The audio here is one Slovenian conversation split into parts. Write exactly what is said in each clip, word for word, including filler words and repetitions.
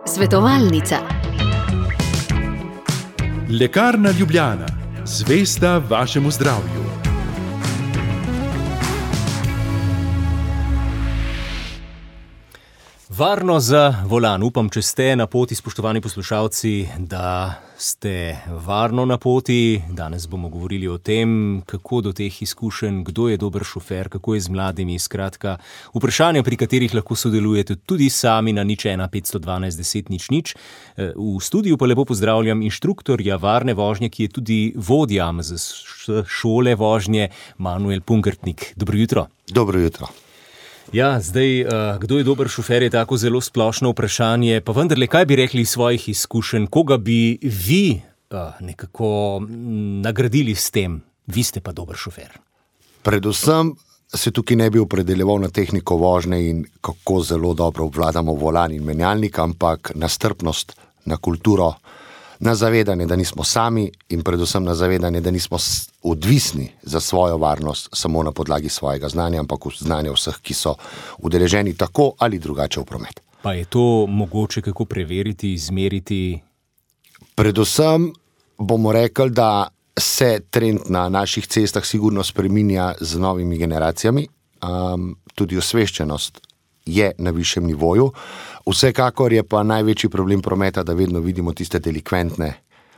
Svetovalnica. Lekarna Ljubljana, zvesta vašemu zdravju. Varno za volan. Upam, če ste na poti, spoštovani poslušalci, da ste varno na poti. Danes bomo govorili o tem, kako do teh izkušenj, kdo je dober šofer, kako je z mladimi. Skratka, vprašanja, pri katerih lahko sodelujete tudi sami na nič ena petsto dvanajst deset nič nič. V studiu pa lepo pozdravljam inštruktorja varne vožnje, ki je tudi vodja z šole vožnje, Manuel Pungertnik. Dobro jutro. Dobro jutro. Ja, zdaj, kdo je dober šofer, je tako zelo splošno vprašanje, pa vendarle, kaj bi rekli iz svojih izkušenj, koga bi vi nekako nagradili s tem, vi ste pa dober šofer? Predvsem se tukaj ne bi opredeljeval na tehniko vožnje in kako zelo dobro obvladamo volan in menjalnik, ampak na strpnost, na kulturo, na zavedanje, da nismo sami in predvsem na zavedanje, da nismo odvisni za svojo varnost samo na podlagi svojega znanja, ampak znanja vseh, ki so udeleženi tako ali drugače v promet. Pa je to mogoče kako preveriti, izmeriti? Predvsem bomo rekli, da se trend na naših cestah sigurno spreminja z novimi generacijami, um, tudi osveščenost je na višjem nivoju. Vsekakor je pa največji problem prometa, da vedno vidimo tiste delikventne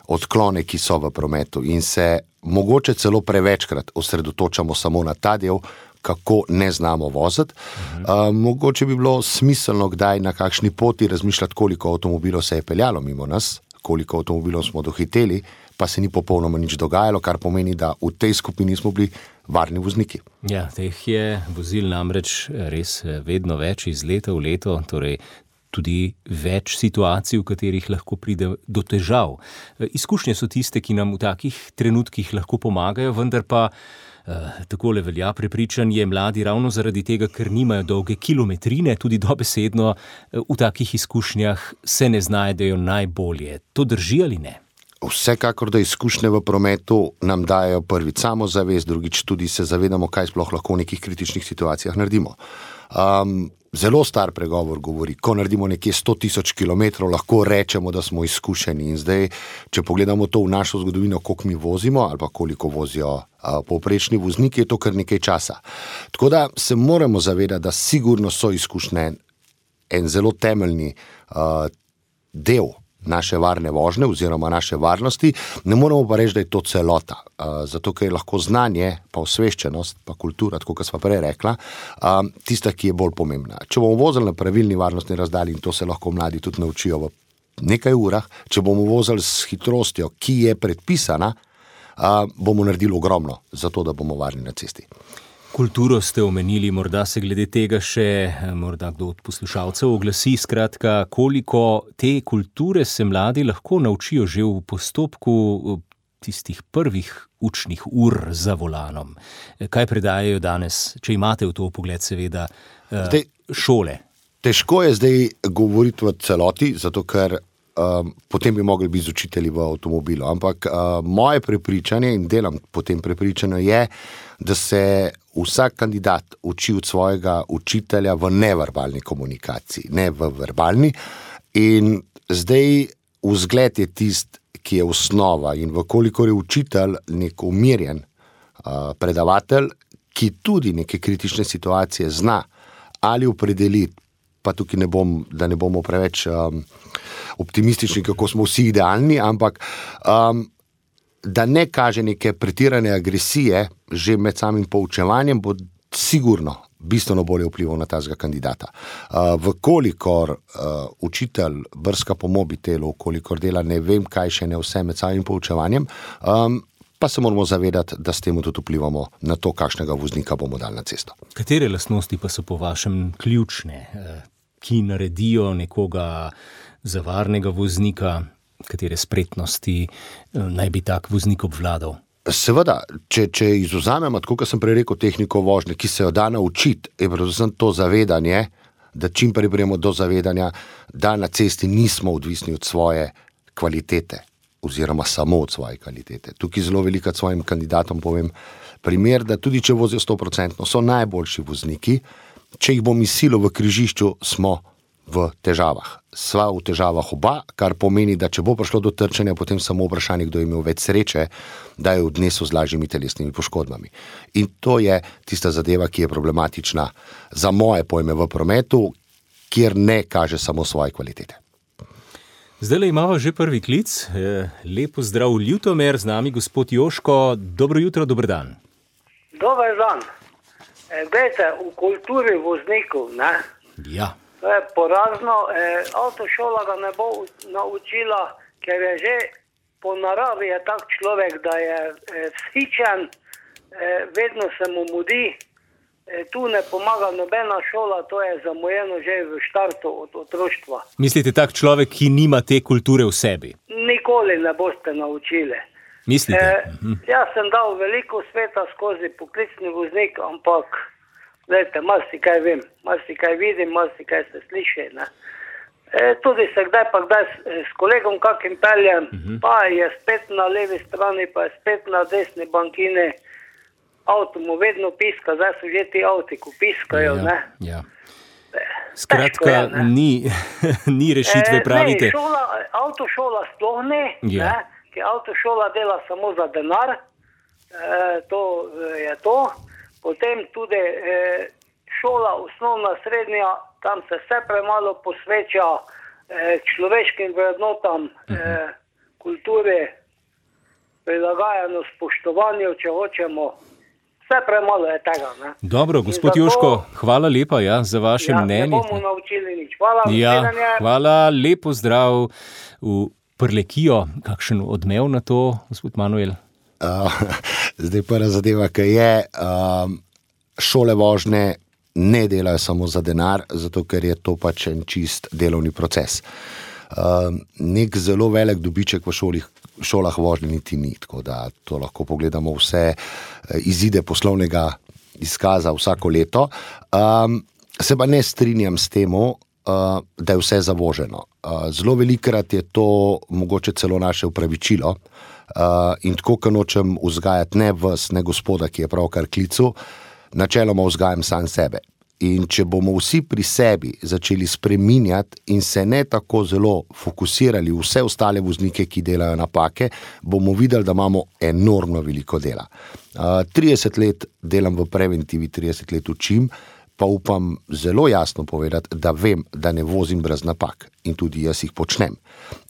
odklone, ki so v prometu in se mogoče celo prevečkrat osredotočamo samo na ta del, kako ne znamo voziti. Mhm. Uh, mogoče bi bilo smiselno kdaj na kakšni poti razmišljati, koliko avtomobilov se je peljalo mimo nas, koliko avtomobilov smo dohiteli, pa se ni popolnoma nič dogajalo, kar pomeni, da v tej skupini smo bili varni vozniki. Ja, teh je vozil namreč res vedno več iz leta v leto, torej tudi več situacij, v katerih lahko pride do težav. Izkušnje so tiste, ki nam v takih trenutkih lahko pomagajo, vendar pa eh, takole velja prepričanje, mladi ravno zaradi tega, ker nimajo dolge kilometrine, tudi dobesedno eh, v takih izkušnjah se ne znajdejo najbolje. To drži ali ne? Vsekakor, da izkušnje v prometu nam dajo prvič samozavest, drugič tudi se zavedamo, kaj sploh lahko v nekih kritičnih situacijah naredimo. Um, zelo star pregovor govori, ko naredimo nekje sto tisoč kilometrov, lahko rečemo, da smo izkušeni. In zdaj, če pogledamo to v našo zgodovino, koliko mi vozimo ali pa koliko vozijo uh, povprečni vozniki, je to kar nekaj časa. Tako da se moramo zavedati, da sigurno so izkušnje en zelo temeljni uh, del naše varne vožnje oziroma naše varnosti, ne moramo pa reči, da je to celota. Uh, zato, ker je lahko znanje, pa osveščenost, pa kultura, tako kot sva prej rekla, uh, tista, ki je bolj pomembna. Če bomo vozili na pravilni varnostni razdalji, in to se lahko mladi tudi naučijo v nekaj urah, če bomo vozili s hitrostjo, ki je predpisana, uh, bomo naredili ogromno za to, da bomo varni na cesti. Kulturo ste omenili, morda se glede tega še morda kdo od poslušalcev oglasi, skratka, koliko te kulture se mladi lahko naučijo že v postopku tistih prvih učnih ur za volanom. Kaj predajajo danes, če imate v to pogled seveda, zdaj, šole? Težko je zdaj govoriti v celoti, zato ker um, potem bi mogli biti z učitelji v avtomobilu, ampak uh, moje prepričanje in delam po tem prepričanju je, da se vsak kandidat uči od svojega učitelja v neverbalni komunikaciji, ne v verbalni. In zdaj vzgled je tist, ki je osnova in vkolikor je učitelj nek umirjen uh, predavatelj, ki tudi neke kritične situacije zna ali opredeliti, pa tukaj ne bom, da ne bomo preveč um, optimistični, kako smo vsi idealni, ampak um, da ne kaže neke pretirane agresije že med samim poučevanjem, bo sigurno bistveno bolje vplival na tazga kandidata. Uh, vkolikor uh, učitelj brska po mobitelu, vkolikor dela ne vem kaj še ne vse med samim poučevanjem, um, pa se moramo zavedati, da s tem tudi vplivamo na to, kakšnega voznika bomo dali na cesto. Katere lastnosti pa so po vašem ključne, ki naredijo nekoga za varnega voznika, katere spretnosti naj bi tak voznik obvladal? Seveda, če, če izvzamemo, tako kot sem prej rekel, tehniko vožnje, ki se jo da naučiti, je predvsem to zavedanje, da čim prej pridemo do zavedanja, da na cesti nismo odvisni od svoje kvalitete oziroma samo od svoje kvalitete. Tukaj zelo veliko svojim kandidatom povem primer, da tudi če vozijo sto procentno, so najboljši vozniki, če jih bom izsilil v križišču, smo v težavah. Sva v težavah oba, kar pomeni, da če bo prišlo do trčenja, potem samo vprašanje, kdo je imel več sreče, da je odnesel z lažjimi telesnimi poškodbami. In to je tista zadeva, ki je problematična za moje pojme v prometu, kjer ne kaže samo svoje kvalitete. Zdaj imamo že prvi klic. Lepo zdrav Ljutomer, z nami gospod Joško. Dobro jutro, dober dan. Dober dan. Glejte, v kulturi voznikov, ne? Ja. To je porazno. E, avtošola ga ne bo naučila, ker je že po naravi je tak človek, da je e, vzhičen, e, vedno se mu mudi. E, tu ne pomaga nobena šola, to je zamujeno že v štartu od otroštva. Mislite, tak človek, ki nima te kulture v sebi? Nikoli ne boste naučili. Mislite? E, mhm. Jaz sem dal veliko sveta skozi poklicni voznik, ampak gledajte, malo si kaj vem, malo si kaj vidim, malo si kaj se sliši. Ne? E, tudi se kdaj pa kdaj s, s kolegom kakim peljem, uh-huh. pa je spet na levi strani, pa je spet na desni bankini, avto mu vedno piska, zdaj so že ti avti, ko piskajo. Ja, ne? Ja. Skratka, je, ni, ni rešitve, pravite. E, ne, šola, avtošola sploh ne, ja. ne, ker avtošola dela samo za denar, e, to je to. Potem tudi eh, šola, osnovna, srednja, tam se vse premalo posveča eh, človeškim vrednotam, eh, kulturi, prilagajano spoštovanju, če hočemo. Vse premalo je tega. Ne? Dobro, gospod zato, Joško, hvala lepa ja, za vaše ja, mnenje. Ne bomo naučili nič. Hvala, ja, hvala, lepo zdrav v Prlekijo. Kakšen odmev na to, gospod Manuel? Uh, zdaj prva zadeva, ki je, uh, šole vožnje ne delajo samo za denar, zato ker je to pač en čist delovni proces. Uh, nek zelo velik dobiček v šolih, šolah vožnje niti ni, tako da to lahko pogledamo vse izide poslovnega izkaza vsako leto. Um, se pa ne strinjam s temu, uh, da je vse zavoženo. Uh, zelo velikrat je to mogoče celo naše upravičilo. Uh, in tako, ko nočem vzgajati ne vas, ne gospoda, ki je pravkar klical, načeloma vzgajam sam sebe. In če bomo vsi pri sebi začeli spreminjati in se ne tako zelo fokusirali vse ostale voznike, ki delajo napake, bomo videli, da imamo enormno veliko dela. Uh, trideset let delam v preventivi, trideset let učim, pa upam zelo jasno povedati, da vem, da ne vozim brez napak in tudi jaz jih počnem.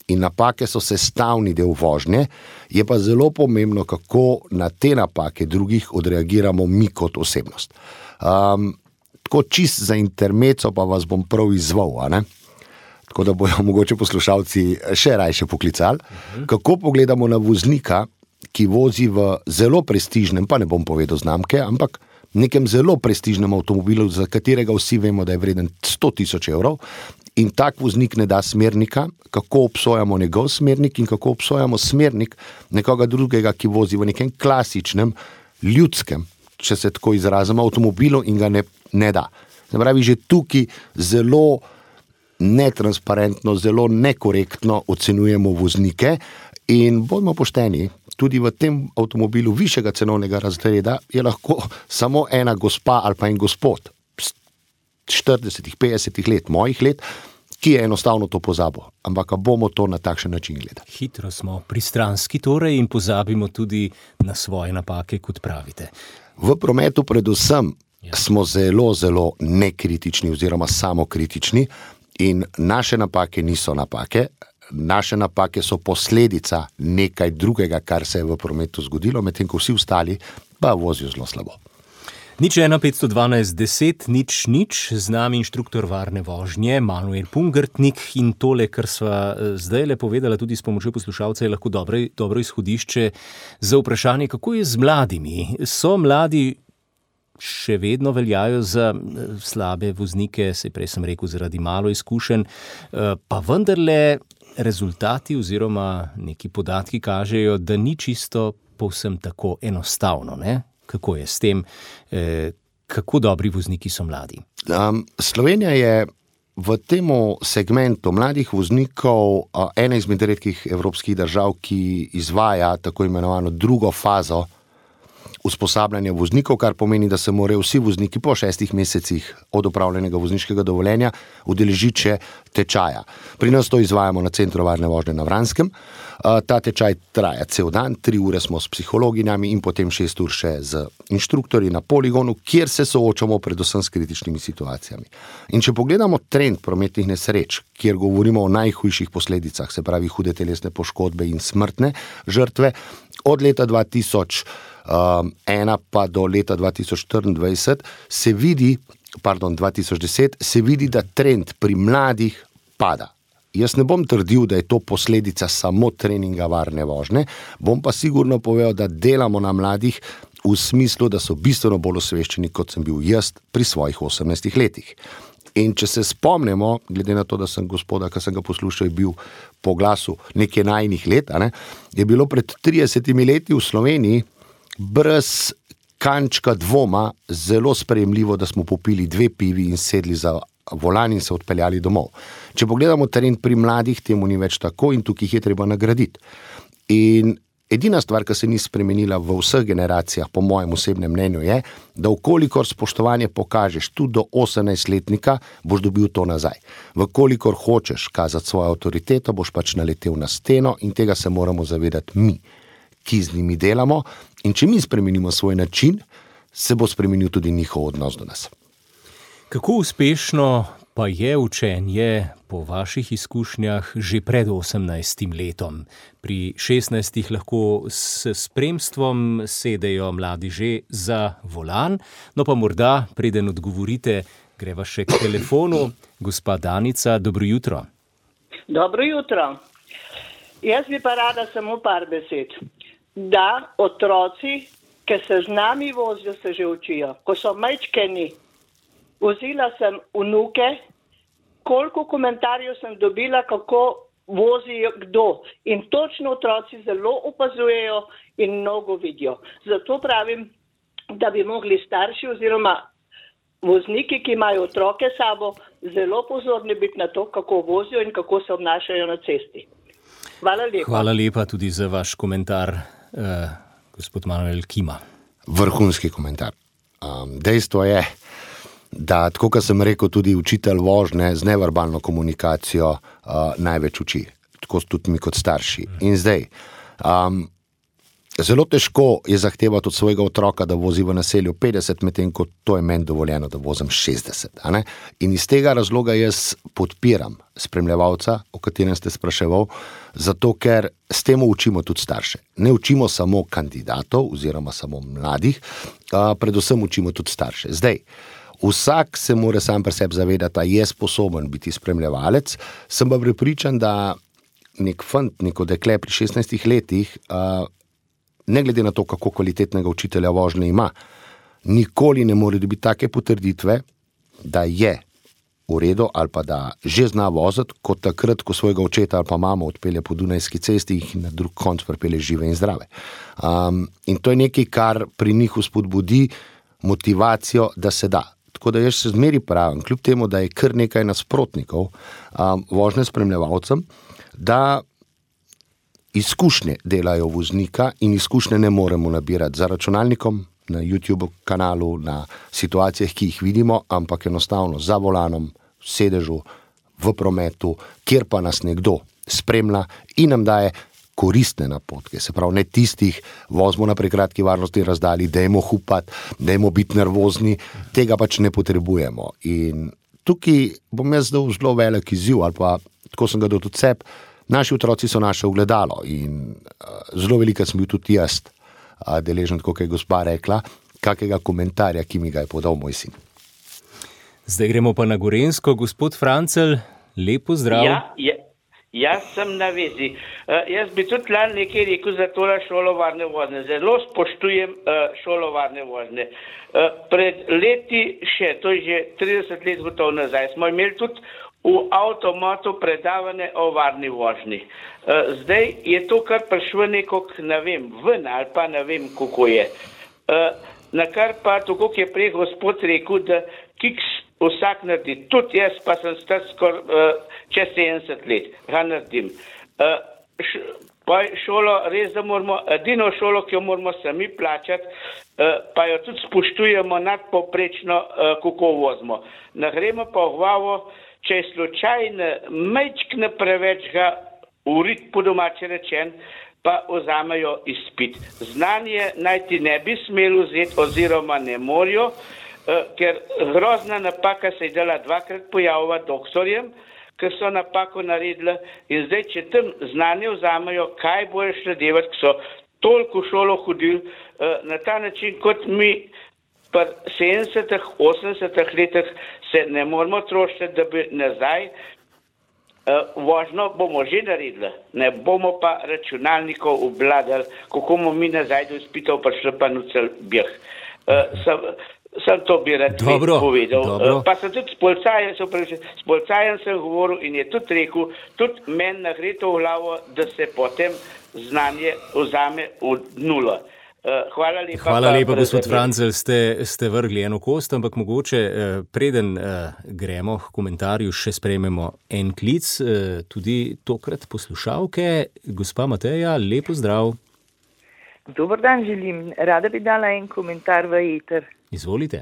In napake so sestavni del vožnje, je pa zelo pomembno, kako na te napake drugih odreagiramo mi kot osebnost. Um, tako čist za intermeco pa vas bom prav izzval, a ne? Tako da bojo mogoče poslušalci še rajše poklicali, uh-huh. kako pogledamo na voznika, ki vozi v zelo prestižnem, pa ne bom povedal znamke, ampak nekem zelo prestižnem avtomobilu, za katerega vsi vemo, da je vreden sto tisoč evrov, in tak voznik ne da smernika, kako obsojamo njegov smernik in kako obsojamo smernik nekoga drugega, ki vozi v nekem klasičnem, ljudskem, če se tako izrazimo, avtomobilu in ga ne, ne da. Se pravi, že tukaj zelo netransparentno, zelo nekorektno ocenjujemo voznike in bodimo pošteni, tudi v tem avtomobilu višjega cenovnega razreda je lahko samo ena gospa ali pa en gospod štirideset, petdeset let, mojih let, ki je enostavno to pozabil. Ampak bomo to na takšen način gledali. Hitro smo pristranski torej in pozabimo tudi na svoje napake, kot pravite. V prometu predvsem ja. smo zelo, zelo nekritični oziroma samokritični in naše napake niso napake. Naše napake so posledica nekaj drugega, kar se je v prometu zgodilo, medtem ko vsi ostali pa vozijo zelo slabo. Nič ena petsto dvanajst deset, nič nič, z nami inštruktor varne vožnje, Manuel Pungertnik in tole, kar sva zdaj le povedala tudi s pomočjo poslušalca, je lahko dobro, dobro izhodišče za vprašanje, kako je z mladimi. So mladi še vedno veljajo za slabe voznike, saj prej sem rekel zaradi malo izkušenj, pa vendarle rezultati oziroma neki podatki kažejo, da ni čisto povsem tako enostavno, ne? Kako je s tem, eh, kako dobri vozniki so mladi? Um, Slovenija je v tem segmentu mladih voznikov uh, ena izmed redkih evropskih držav, ki izvaja tako imenovano drugo fazo usposabljanja voznikov, kar pomeni, da se morajo vsi vozniki po šestih mesecih od opravljenega vozniškega dovoljenja udeležiti še tečaja. Pri nas to izvajamo na Centru varne vožnje na Vranskem. Ta tečaj traja cel dan, tri ure smo s psihologinjami in potem šest ur še z inštruktorji na poligonu, kjer se soočamo predvsem s kritičnimi situacijami. In če pogledamo trend prometnih nesreč, kjer govorimo o najhujših posledicah, se pravi hude telesne poškodbe in smrtne žrtve, od leta dva tisoč ena pa do leta dva tisoč štiriindvajset se vidi, pardon, dva tisoč deset, se vidi, da trend pri mladih pada. Jaz ne bom trdil, da je to posledica samo treninga varne vožnje, bom pa sigurno povedal, da delamo na mladih v smislu, da so bistveno bolj osveščeni, kot sem bil jaz pri svojih osemnajstih letih. In če se spomnimo, glede na to, da sem gospoda, ki sem ga poslušal, bil po glasu nekaj najnih let, a ne, je bilo pred tridesetimi leti v Sloveniji brez kančka dvoma zelo sprejemljivo, da smo popili dve pivi in sedli za volan in se odpeljali domov. Če pogledamo teren pri mladih, temu ni več tako in tukaj jih je treba nagraditi. In edina stvar, ki se ni spremenila v vseh generacijah, po mojem osebnem mnenju, je, da vkolikor spoštovanje pokažeš tudi do osemnajstletnika, boš dobil to nazaj. Vkolikor hočeš kazati svojo avtoriteto, boš pač naletel na steno in tega se moramo zavedati mi, ki z njimi delamo. In če mi spremenimo svoj način, se bo spremenil tudi njihov odnos do nas. Kako uspešno pa je učenje po vaših izkušnjah že pred osemnajstim letom? Pri šestnajstih lahko s spremstvom sedejo mladi že za volan, no pa morda, preden odgovorite, greva še k telefonu. Gospa Danica, dobro jutro. Dobro jutro. Jaz bi pa rada samo par besed. Da otroci, ki se z nami vozijo, se že učijo. Ko so majčkeni, vozila sem vnuke, koliko komentarjev sem dobila, kako vozijo kdo. In točno otroci zelo opazujejo in mnogo vidijo. Zato pravim, da bi mogli starši oziroma vozniki, ki imajo otroke s sabo, zelo pozorni biti na to, kako vozijo in kako se obnašajo na cesti. Hvala lepa. Hvala lepa tudi za vaš komentar, eh, gospod Manuel Kima. Vrhunski komentar. Um, dejstvo je, da, tako kot sem rekel, tudi učitelj vožnje z neverbalno komunikacijo uh, največ uči, tako tudi mi kot starši. In zdaj, um, zelo težko je zahtevati od svojega otroka, da vozi v naselju petdeset, medtem ko to je meni dovoljeno, da vozim šestdeset. A ne? In iz tega razloga jaz podpiram spremljevalca, o katerem ste spraševal, zato ker s tem učimo tudi starše. Ne učimo samo kandidatov oziroma samo mladih, uh, predvsem učimo tudi starše. Zdaj, vsak se mora sam pri sebi zavedati, da je sposoben biti spremljevalec. Sem pa prepričan, da nek fant, neko dekle pri šestnajstih letih, uh, ne glede na to, kako kvalitetnega učitelja vožnje ima, nikoli ne more dobiti take potrditve, da je v redu ali pa da že zna voziti, kot takrat, ko svojega očeta ali pa mamo odpelje po Dunajski cesti in na drug konc pripelje žive in zdrave. Um, in to je nekaj, kar pri njih vzpodbudi motivacijo, da se da. Tako da jaz se zmeri pravim, kljub temu, da je kar nekaj nasprotnikov um, vožnje spremljevalcem, da izkušnje delajo voznika in izkušnje ne moremo nabirati za računalnikom, na YouTube kanalu, na situacijah, ki jih vidimo, ampak enostavno za volanom, v sedežu, v prometu, kjer pa nas nekdo spremlja in nam daje koristne napotke, se pravi ne tistih, vozimo na prekratki varnostni razdalji, dajmo hupati, dajmo biti nervozni, tega pač ne potrebujemo. In tukaj bom jaz dal zelo velik izziv, ali pa tako sem ga dal tudi sebi, naši otroci so naše ogledalo in uh, zelo veliko sem bil tudi jaz uh, deležen, tako je gospa rekla, kakega komentarja, ki mi ga je podal moj sin. Zdaj gremo pa na Gorenjsko. Gospod Francelj, lepo zdrav. Ja, ja. Jaz sem na vezi. Uh, jaz bi tudi lani nekaj rekel za tole šolo varne vožnje. Zelo spoštujem uh, šolo varne vožnje. Uh, pred leti še, to je že trideset let gotovo nazaj, smo imeli tudi v avtomatu predavanje o varni vožnji. Uh, zdaj je to kar prišlo nekog, ne vem, ven ali pa ne vem, kako je. Uh, na kar pa, tako je prej gospod rekel, da kiks vsak naredi. Tudi jaz pa sem star skoraj uh, čez sedemdeset let, ga naredim. Uh, š, pa je šolo res, da moramo, edino šolo, ki jo moramo sami plačati, pa jo tudi spoštujemo nadpovprečno, kako vozimo. Ne gremo pa v glavo, če je slučajno majčkne preveč ga urit po domače rečen, pa vzamejo izpit. Znanje naj ti ne bi smeli vzeti oziroma ne morajo, ker grozna napaka se je dala dvakrat pojavila doktorjem, ki so napako naredili in zdaj, če tam znanje vzamejo, kaj bojo šle delati, ki so toliko v šolo hodili, na ta način, kot mi pri sedemdesetih, osemdesetih letih se ne moramo trošiti, da bi nazaj vožno bomo že naredili, ne bomo pa računalnikov obladali, kako bomo mi nazaj do izpitov prišli pa nucel bjeh. Sem, sem to bi rad dobro, povedal. Dobro. Pa sem tudi s policajem, s policajem sem govoril in je tudi rekel, tudi meni nagre to v glavo, da se potem znanje vzame v nulo. Hvala lepa. Hvala lepa, gospod Francelj, ste, ste vrgli eno kost, ampak mogoče preden gremo k komentarju, še sprejmemo en klic, tudi tokrat poslušalke. Gospa Mateja, lepo zdrav. Dober dan želim. Rada bi dala en komentar v eter. Izvolite.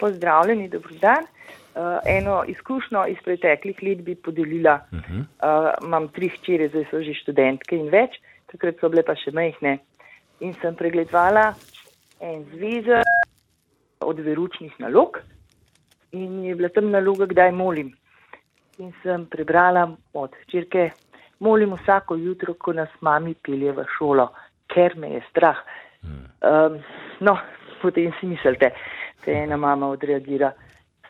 Pozdravljeni, dober dan. Uh, eno izkušnjo iz preteklih let bi podelila. Uh-huh. Uh, imam tri hčere, zdaj so že študentke in več, takrat so bile pa še majhne. In sem pregledovala en zvezek od veručnih nalog in je bila tam naloga, kdaj molim. In sem prebrala od hčerke, molim vsako jutro, ko nas mami pelje v šolo, ker me je strah. Um, no, potem si mislite, da ena mama odreagira,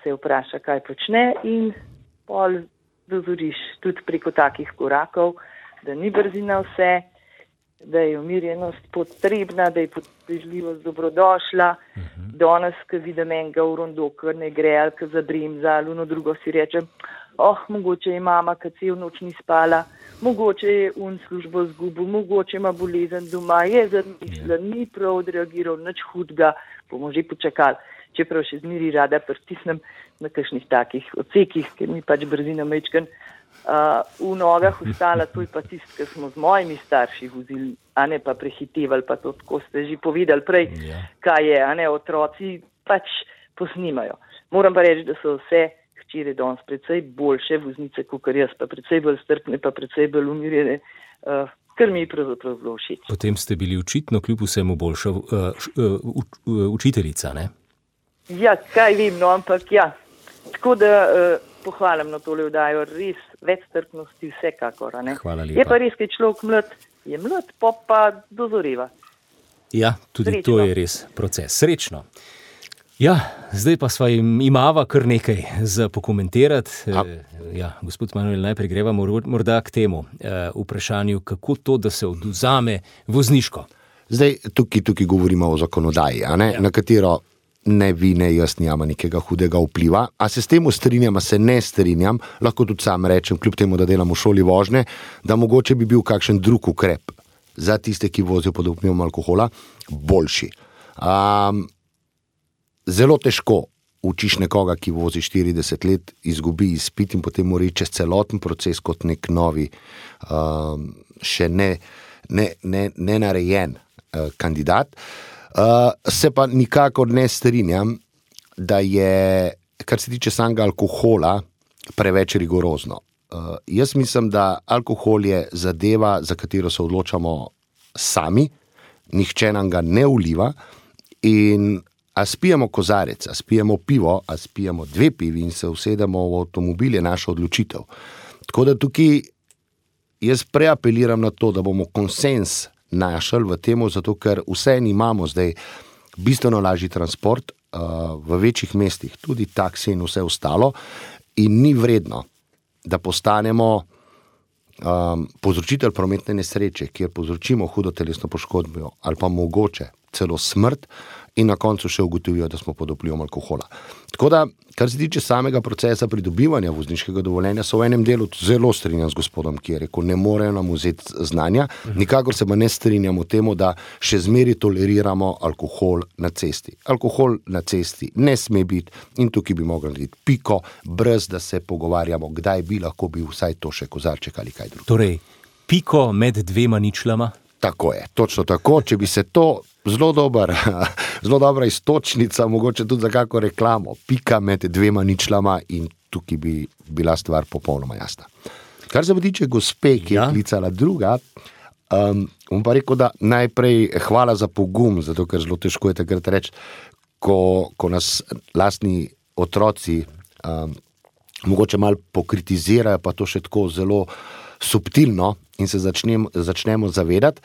se vpraša, kaj počne in pol dozoriš tudi preko takih korakov, da ni brzina vse, da je umirjenost potrebna, da je potrpežljivost dobrodošla. Uh-huh. Danes, ko vidim enega v rondo, kar ne gre, ali ko zabremza, ali ono drugo si rečem, oh, mogoče je mama, ki cel noč ni spala, mogoče je un službo zgubil, mogoče ima bolezen doma, je zamišljen, ni prav odreagiral, nič hudega, bomo že počakali. Čeprav še zmeri rada pritisnem na kakšnih takih odsekih, ker mi pač brzina mečken uh, v nogah ostala, to je pa tist, ki smo z mojimi starši vozili, a ne pa prehitevali, pa to, tako ste že povedali prej, yeah. kaj je, a ne, otroci pač posnimajo. Moram pa reči, da so vse hčere danes precej boljše voznice, kot jaz, pa precej bolj strpne, pa precej bolj umirjene, uh, kar mi je pravzaprav bilo všeč. Potem ste bili očitno kljub vsemu boljša uh, uh, uh, učiteljica, ne? Ja, kaj vem, no, ampak ja. Tako da uh, pohvalim na tole vdajo, res več strpnosti vsekakor, ne? Hvala lepa. Je pa res, kaj človek mlad, je mlad, pop pa dozoreva. Ja, tudi Srečno. To je res proces. Srečno. Ja, zdaj pa sva imava kar nekaj za pokomentirati. A. Ja, gospod Manuel, najprej greva morda k temu uh, vprašanju, kako to, da se odvzame vozniško. Zdaj, tukaj, tukaj govorimo o zakonodaji, a ne? Ja. Na katero ne vi, ne jaz nijama nekega hudega vpliva. A se s tem strinjam, a se ne strinjam, lahko tudi sam rečem, kljub temu, da delam v šoli vožnje, da mogoče bi bil kakšen drug ukrep za tiste, ki vozijo pod vplivom alkohola, boljši. Um, zelo težko učiš nekoga, ki vozi štirideset let, izgubi izpit in potem mora čez celoten proces kot nek novi, um, še ne, ne, ne, ne narejen uh, kandidat. Uh, se pa nikakor ne strinjam, da je, kar se tiče samega alkohola, preveč rigorozno. Uh, jaz mislim, da alkohol je zadeva, za katero se odločamo sami, nihče nam ga ne vliva in a spijemo kozarec, a spijemo pivo, a spijemo dve pivi in se usedemo v avtomobil, je naša odločitev. Tako da tukaj jaz preapeliram na to, da bomo konsens našel v temu, zato ker vse imamo zdaj bistveno lažji transport uh, v večjih mestih, tudi taksi in vse ostalo in ni vredno, da postanemo um, povzročitelj prometne nesreče, kjer povzročimo hudo telesno poškodbo ali pa mogoče celo smrt in na koncu še ugotovijo, da smo pod vplivom alkohola. Tako da, kar se tiče samega procesa pridobivanja vozniškega dovoljenja, so v enem delu zelo strinjam z gospodom, ki je rekel, ne morejo nam vzeti znanja, nikakor se pa ne strinjamo temu, da še zmeri toleriramo alkohol na cesti. Alkohol na cesti ne sme biti in tukaj bi mogli narediti piko, brez da se pogovarjamo, kdaj bi lahko bil vsaj to še kozarček ali kaj drugo. Torej, piko med dvema ničlama? Tako je, točno tako. Če bi se to zelo dober, zelo dobra istočnica, mogoče tudi za kako reklamo, pika med dvema ničlama in tukaj bi bila stvar popolnoma jasna. Kar se tiče gospe, ki je ja. klicala druga, um, bom pa rekel, da najprej hvala za pogum, zato ker zelo težko je takrat reči, ko, ko nas lastni otroci um, mogoče malo pokritizirajo, pa to še tako zelo subtilno in se začnem, začnemo zavedati.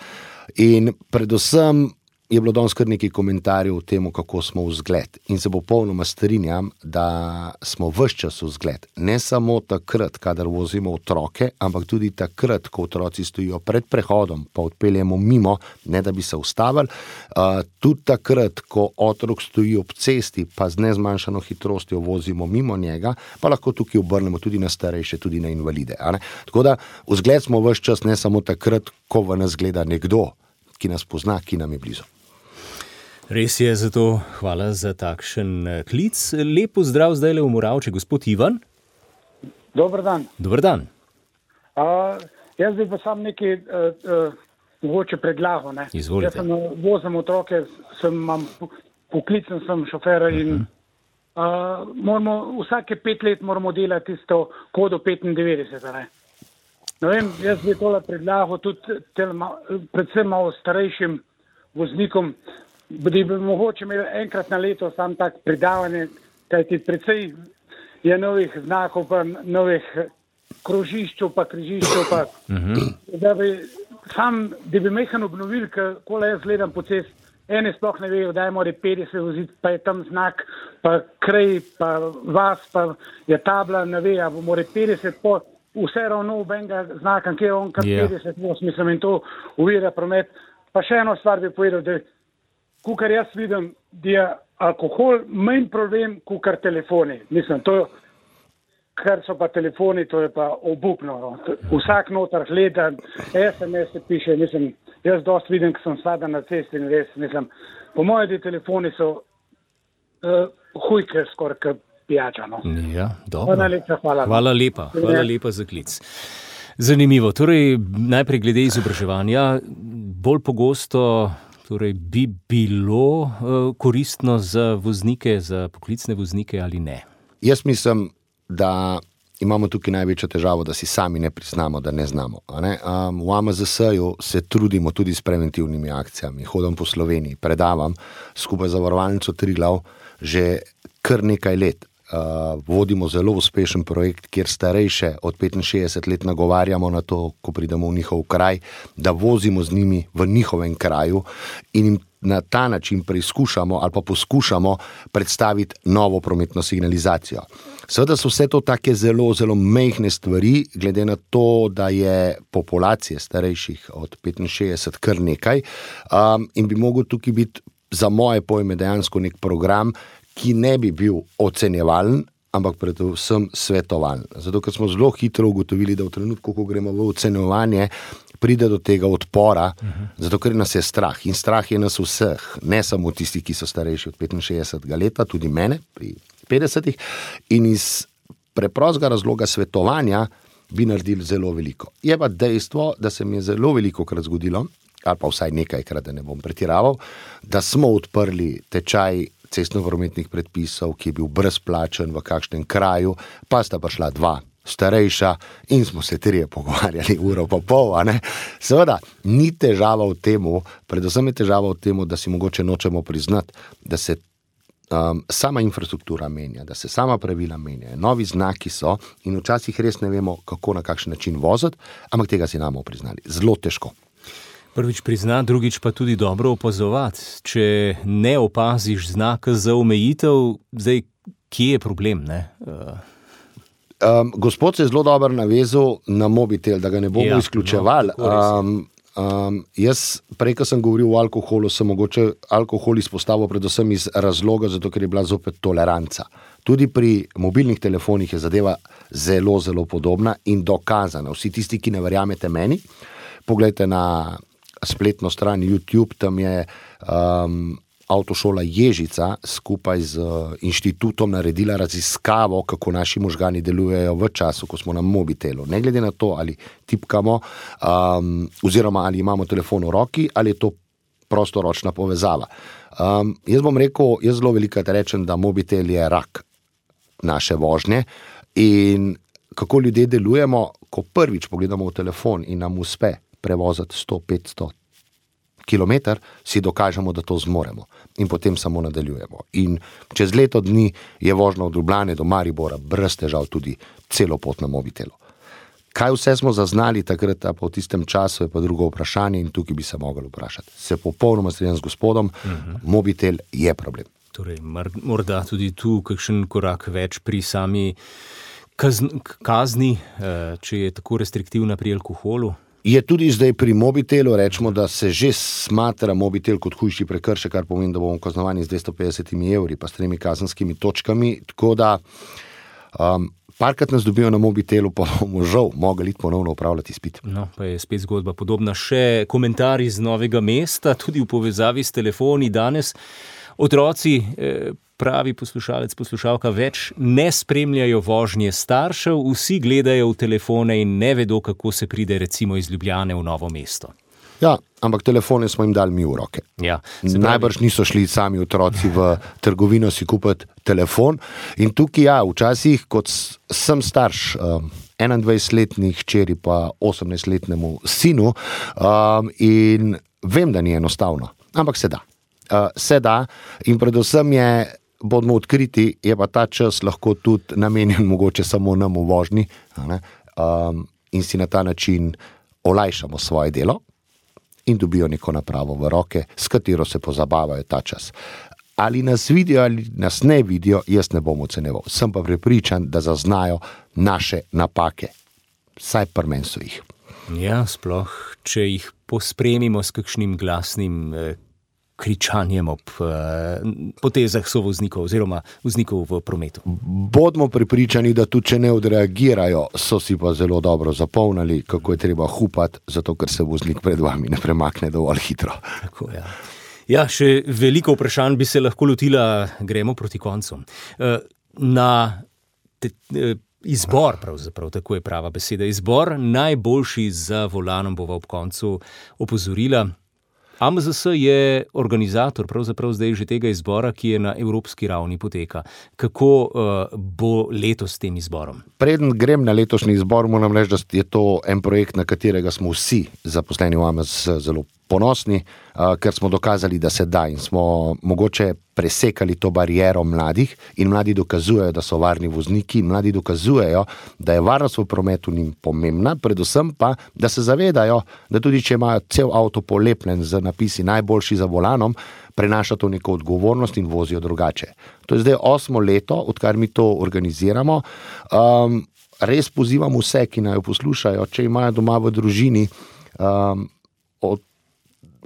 In predvsem je bilo danes kar nekaj komentarjev o tem, kako smo vzgled. In se popolnoma strinjam, da smo ves čas vzgled. Ne samo takrat, kadar vozimo otroke, ampak tudi takrat, ko otroci stojijo pred prehodom, pa odpeljemo mimo, ne da bi se ustavili. Uh, tudi takrat, ko otrok stoji ob cesti, pa z nezmanjšano hitrostjo vozimo mimo njega, pa lahko tukaj obrnemo tudi na starejše, tudi na invalide. A ne? Tako da vzgled smo ves čas, ne samo takrat, ko v nas gleda nekdo, ki nas pozna, ki nam je blizu. Res je, zato hvala za takšen klic. Lep pozdrav zdaj le v Moravče, gospod Ivan. Dober dan. Dober dan. Uh, jaz bi pa sam nekaj uh, uh, mogoče predlagal. Ne? Izvolite. Jaz sem vozim otroke, sem, imam poklicen sem šofer in uh-huh. uh, moramo, vsake pet let moramo delati tisto kodo petindevetdeset. Ne? No vem, jaz bi tole predlagal tudi tel, predvsem malo starejšim voznikom, da bi mogoče imeli enkrat na leto sam tak predavanje, kajti precej je novih znakov, pa novih krožiščov, pa križiščov, pa uh-huh. da bi sam, da bi mehan obnovil, ko jaz gledam po cest, ene sploh ne vejo, da je more petdeset voziti, pa je tam znak, pa krej, pa vas, pa je tabla, ne ve, a bo more petdeset, po vse ravno v benga znaka, kje je on kar yeah. petdeset, mislim, in to uvira promet. Pa še eno stvar bi povedal, da kukar jaz vidim, da je alkohol manj problem, kukar telefoni. Mislim, to, kar so pa telefoni, to je pa obupno. No. Vsak notar gleda, es em es se piše, mislim, jaz dost vidim, ko sem sada na cesti in res, mislim, po moje, da telefoni so uh, hujke skoraj kot pijača. No. Ja, dobro. Hvala lepa, hvala. Hvala lepa, hvala lepa za klic. Zanimivo, torej najprej glede izobraževanja, bolj pogosto torej bi bilo uh, koristno za voznike, za poklicne voznike ali ne? Jaz mislim, da imamo tukaj največjo težavo, da si sami ne priznamo, da ne znamo. A ne? Um, v A M Z S-ju se trudimo tudi s preventivnimi akcijami. Hodim po Sloveniji, predavam skupaj z Zavarovalnico Triglav že kar nekaj let. Uh, vodimo zelo uspešen projekt, kjer starejše od petinšestdeset let nagovarjamo na to, ko pridemo v njihov kraj, da vozimo z njimi v njihovem kraju in jim na ta način preizkušamo ali pa poskušamo predstaviti novo prometno signalizacijo. Seveda so vse to take zelo, zelo mehne stvari, glede na to, da je populacije starejših od petinšestdeset kar nekaj um, in bi mogel tukaj biti za moje pojme dejansko nek program, ki ne bi bil ocenjevalen, ampak predvsem svetovalen. Zato, ker smo zelo hitro ugotovili, da v trenutku, ko gremo v ocenjevanje, pride do tega odpora, uh-huh. zato, ker nas je strah. In strah je nas vseh, ne samo tisti, ki so starejši od petinšestdesetega leta, tudi mene pri petdesetih. In iz preprostega razloga svetovanja bi naredili zelo veliko. Je pa dejstvo, da se mi je zelo veliko krat zgodilo, ali pa vsaj nekajkrat, da ne bom pretiraval, da smo odprli tečaj cestno-prometnih predpisov, ki je bil brezplačen v kakšnem kraju, pa sta prišla dva starejša in smo se trije pogovarjali uro pa pol, a ne? Seveda, ni težava v temu, predvsem je težava v temu, da si mogoče nočemo priznati, da se um, sama infrastruktura menja, da se sama pravila menjajo, novi znaki so in včasih res ne vemo, kako na kakšen način voziti, ampak tega si namo priznali. Zelo težko. Prvič prizna, drugič pa tudi dobro opazovati. Če ne opaziš znaka za omejitev, zdaj, kje je problem, ne? Uh... Um, gospod se je zelo dobro navezal na mobitel, da ga ne bomo ja, izključevali. No, um, um, jaz, prej, ko sem govoril o alkoholu, sem mogoče alkohol izpostavil predvsem iz razloga, zato ker je bila zopet toleranca. Tudi pri mobilnih telefonih je zadeva zelo, zelo podobna in dokazana. Vsi tisti, ki ne verjamete meni, poglejte na spletno stran YouTube, tam je um, avtošola Ježica skupaj z inštitutom naredila raziskavo, kako naši možgani delujejo v času, ko smo na mobitelu. Ne glede na to, ali tipkamo, um, oziroma ali imamo telefon v roki, ali je to prostoročna povezava. Um, jaz bom rekel, jaz zelo velikokrat rečem, da mobitel je rak naše vožnje in kako ljudje delujemo, ko prvič pogledamo v telefon in nam uspe prevoziti sto, petsto kilometer, si dokažemo, da to zmoremo in potem samo nadaljujemo. In čez leto dni je vožnja od Ljubljane do Maribora brez težav tudi celo pot na mobitelu. Kaj vse smo zaznali takrat, pa v tistem času je pa drugo vprašanje in tukaj bi se mogli vprašati. Se popolnoma strinjam z gospodom, uh-huh. Mobitel je problem. Torej, morda tudi tu kakšen korak več pri sami kazni, če je tako restriktivna pri alkoholu? Je tudi zdaj pri mobitelu, rečemo, da se že smatra mobitel kot hujši prekršek, kar pomeni, da bomo kaznovani z dvesto petdesetimi evri pa s tremi kazenskimi točkami, tako da um, parkrat nas dobijo na mobitelu, pa bomo žal mogli iti ponovno upravljati izpit. No, pa je spet zgodba podobna. Še komentar iz Novega mesta, tudi v povezavi s telefoni danes. Otroci, pravi poslušalec, poslušalka, več ne spremljajo vožnje staršev, vsi gledajo v telefone in ne vedo, kako se pride recimo iz Ljubljane v Novo mesto. Ja, ampak telefone smo jim dali mi v roke. Ja, najbrž niso šli sami otroci v trgovino si kupiti telefon. In tukaj, ja, včasih, kot sem starš, um, enaindvajsetletni hčeri pa osemnajstletnemu sinu, um, in vem, da ni enostavno, ampak se da. Uh, se da in predvsem je, bodimo odkriti, je pa ta čas lahko tudi namenjen mogoče samo nam v vožnji, um, in si na ta način olajšamo svoje delo in dobijo neko napravo v roke, s katero se pozabavajo ta čas. Ali nas vidijo ali nas ne vidijo, jaz ne bom oceneval. Sem pa prepričan, da zaznajo naše napake. Saj pri meni so jih. Ja, sploh, če jih pospremimo s kakšnim glasnim eh, kričanjem ob eh, potezah sovoznikov oziroma voznikov v prometu. Bodimo prepričani, da tudi če ne odreagirajo, so si pa zelo dobro zapomnili, kako je treba hupati, zato ker se voznik pred vami ne premakne dovolj hitro. Tako, ja. Ja, še veliko vprašanj bi se lahko lotila, gremo proti koncu. Na te, izbor, pravzaprav, tako je prava beseda, izbor najboljši za volanom bova ob koncu opozorila. A M Z S je organizator pravzaprav zdaj že tega izbora, ki je na evropski ravni poteka. Kako uh, bo letos s tem izborom? Preden grem na letošnji izbor, moram reči, da je to en projekt, na katerega smo vsi zaposleni v A M Z S zelo ponosni, uh, ker smo dokazali, da se da in smo mogoče presekali to bariero mladih in mladi dokazujejo, da so varni vozniki, mladi dokazujejo, da je varnost v prometu njim pomembna, predvsem pa, da se zavedajo, da tudi če imajo cel avto polepljen z napisi najboljši za volanom, prenaša to neko odgovornost in vozijo drugače. To je zdaj osmo leto, odkar mi to organiziramo. Um, res pozivam vse, ki naj jo poslušajo, če imajo doma v družini um, od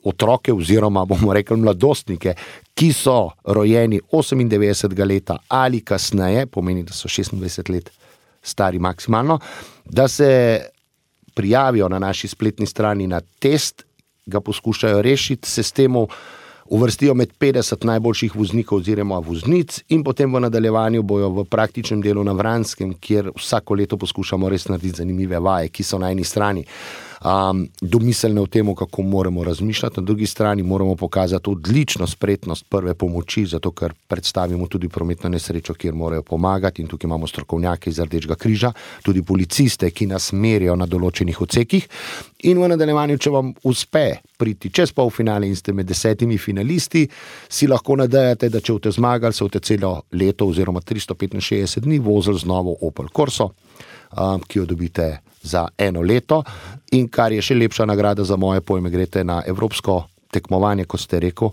otroke oziroma, bomo rekli, mladostnike, ki so rojeni osemindevetdesetega leta ali kasneje, pomeni, da so šestindvajset let stari maksimalno, da se prijavijo na naši spletni strani na test, ga poskušajo rešiti, se s temu uvrstijo med petdeset najboljših voznikov oziroma voznic in potem v nadaljevanju bojo v praktičnem delu na Vranskem, kjer vsako leto poskušamo res narediti zanimive vaje, ki so na eni strani um, domiselne v temu, kako moramo razmišljati, na drugi strani moramo pokazati odlično spretnost prve pomoči, zato ker predstavimo tudi prometno nesrečo, kjer morajo pomagati in tukaj imamo strokovnjake iz Rdečega križa, tudi policiste, ki nas merijo na določenih odsekih in v nadaljevanju, če vam uspe priti čez polfinale in ste med desetimi finalisti, si lahko nadejate, da če boste zmagali, se boste celo leto oziroma tristo petinšestdeset dni vozili z novo Opel Corso, um, ki jo dobite za eno leto in kar je še lepša nagrada za moje pojme, greste na evropsko tekmovanje, kot ste rekel,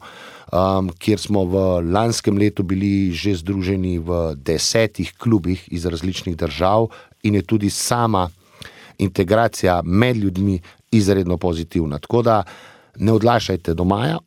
um, kjer smo v lanskem letu bili že združeni v desetih klubih iz različnih držav in je tudi sama integracija med ljudmi izredno pozitivna. Tako da ne odlašajte do maja,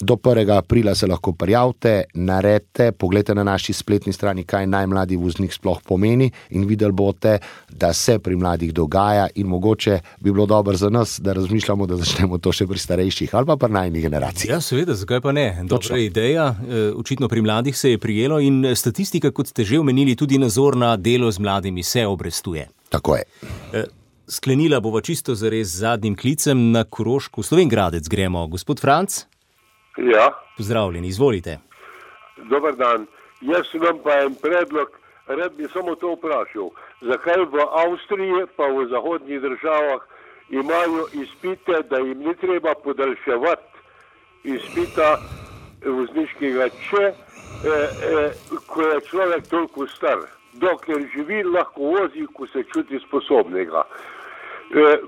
do prvega aprila se lahko prijavite, naredite, pogledajte na naši spletni strani, kaj najmladi voznik sploh pomeni in videli boste, da se pri mladih dogaja in mogoče bi bilo dobro za nas, da razmišljamo, da začnemo to še pri starejših ali pa pri najnih generacijah. Ja, seveda, zakaj pa ne? Dobra ideja, očitno pri mladih se je prijelo in statistika, kot ste že omenili, tudi nazor na delo z mladimi se obrestuje. Tako je. Sklenila bova čisto zares z zadnjim klicem na Koroško. Slovenj Gradec gremo. Gospod Franc? Ja. Pozdravljeni, izvolite. Dobar dan. Jaz imam pa en predlog, rad bi samo to vprašal. Zakaj v Avstriji pa v zahodnih državah imajo izpite, da jim ni treba podaljševati izpita vozniškega, če eh, eh, ko je človek toliko star, dokler živi, lahko vozi, ko se čuti sposobnega.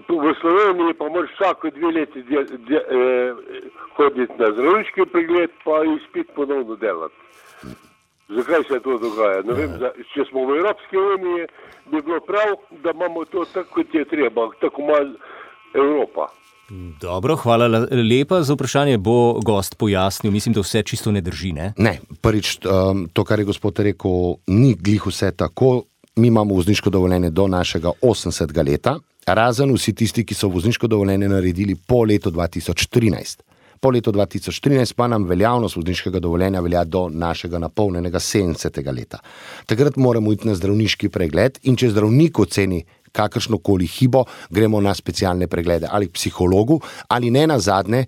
V Sloveniji pa moraš vsako dve leti de, de, eh, hoditi na zdravniški pregled, pa izpit ponovno delati. Zakaj se to dogaja? Ne vem, da, če smo v Evropski uniji, bi bilo prav, da imamo to tako, kot je treba, tako malo Evropa. Dobro, hvala lepa za vprašanje. Bo gost pojasnil, mislim, da vse čisto ne drži, ne? Ne, prvič, to, kar je gospod rekel, ni glih vse tako. Mi imamo vozniško dovoljenje do našega osemdesetega leta, razen vsi tisti, ki so vozniško dovoljenje naredili po letu dva tisoč trinajst. Po letu dva tisoč trinajst pa nam veljavnost vozniškega dovoljenja velja do našega napolnjenega sedemdesetega leta. Takrat moramo iti na zdravniški pregled in če zdravnik oceni kakršnokoli hibo, gremo na specialne preglede ali k psihologu ali ne nazadnje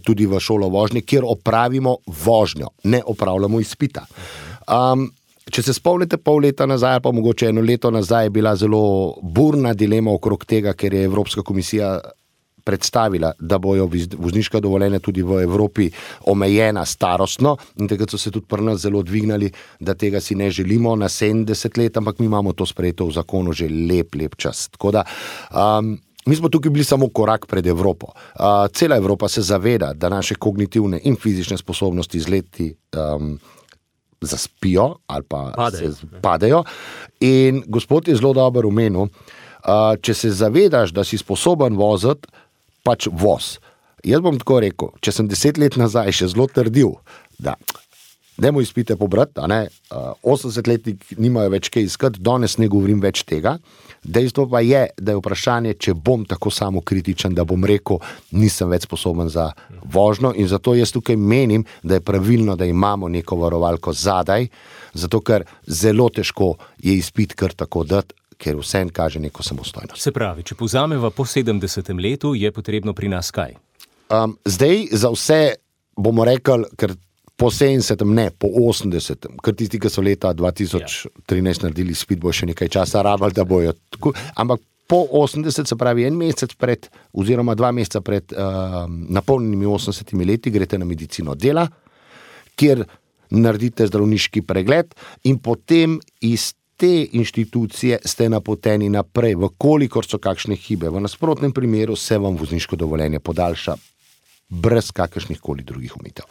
tudi v šolo vožnje, kjer opravimo vožnjo, ne opravljamo izpita. Um, Če se spomnite pol leta nazaj, pa mogoče eno leto nazaj, je bila zelo burna dilema okrog tega, ker je Evropska komisija predstavila, da bojo vozniška dovoljenja tudi v Evropi omejena starostno in takrat so se tudi pri nas zelo dvignali, da tega si ne želimo na sedemdeset let, ampak mi imamo to sprejeto v zakonu že lep, lep čas. Tako da, um, mi smo tukaj bili samo korak pred Evropo. Uh, cela Evropa se zaveda, da naše kognitivne in fizične sposobnosti z leti um, zaspijo ali pa padejo. se padejo. In gospod je zelo dobro omenil, uh, če se zavedaš, da si sposoben voziti, pač voz. Jaz bom tako rekel, če sem deset let nazaj še zelo trdil, da dajmo izpite pobrati, a ne, uh, osemdesetletnik nimajo več kaj iskati, danes ne govorim več tega. Dejstvo pa je, da je vprašanje, če bom tako samokritičen, da bom rekel, nisem več sposoben za vožnjo in zato jaz tukaj menim, da je pravilno, da imamo neko varovalko zadaj, zato ker zelo težko je izpit kar tako dati, ker vsem kaže neko samostojnost. Se pravi, če povzameva po sedemdesetem letu, je potrebno pri nas kaj? Um, zdaj za vse bomo rekli, ker po sedemdesetem, ne, po osemdesetem, ker tisti, ki so leta dva tisoč trinajst naredili izpit, bo še nekaj časa rabili, da bojo tako, ampak po osemdeset, se pravi en mesec pred, oziroma dva meseca pred uh, napolnjenimi osemdesetimi leti, greste na medicino dela, kjer naredite zdravniški pregled in potem iz te inštitucije ste napoteni naprej, vkolikor so kakšne hibe. V nasprotnem primeru se vam vozniško dovoljenje podaljša brez kakršnih koli drugih omejitev.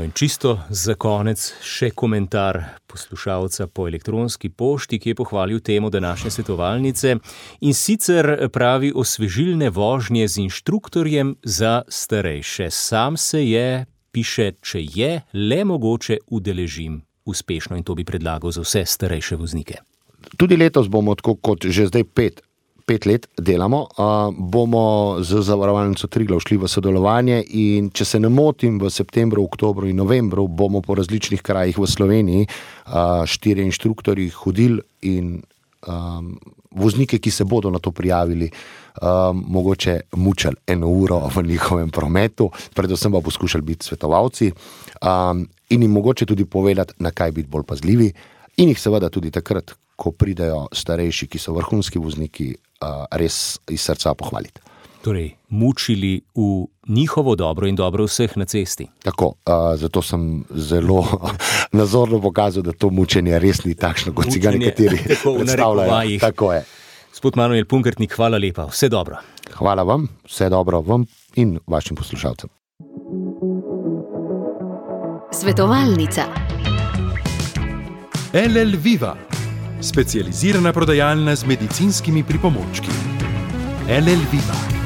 In čisto za konec še komentar poslušalca po elektronski pošti, ki je pohvalil temo današnje svetovalnice in sicer pravi osvežilne vožnje z inštruktorjem za starejše. Sam se je, piše, če je le mogoče, udeležim uspešno in to bi predlagal za vse starejše voznike. Tudi letos bomo, tako kot že zdaj pet, pet let delamo, uh, bomo z Zavarovalnico Triglav šli v sodelovanje in če se ne motim, v septembru, oktobru in novembru bomo po različnih krajih v Sloveniji uh, štiri inštruktorji hodili in um, voznike, ki se bodo na to prijavili, um, mogoče mučali eno uro v njihovem prometu, predvsem pa poskušali biti svetovalci um, in jim mogoče tudi povedati, na kaj biti bolj pazljivi in jih seveda tudi takrat, ko pridejo starejši, ki so vrhunski vozniki, uh, res iz srca pohvaliti. Torej, mučili v njihovo dobro in dobro vseh na cesti. Tako, uh, zato sem zelo nazorno pokazal, da to mučenje res ni takšno, kot si ga nekateri predstavljajo. Tako je. Gospod Manuel Punkertnik, hvala lepa, vse dobro. Hvala vam, vse dobro vam in vašim poslušalcem. Svetovalnica. L L Viva, specializirana prodajalna z medicinskimi pripomočki. L L Viva.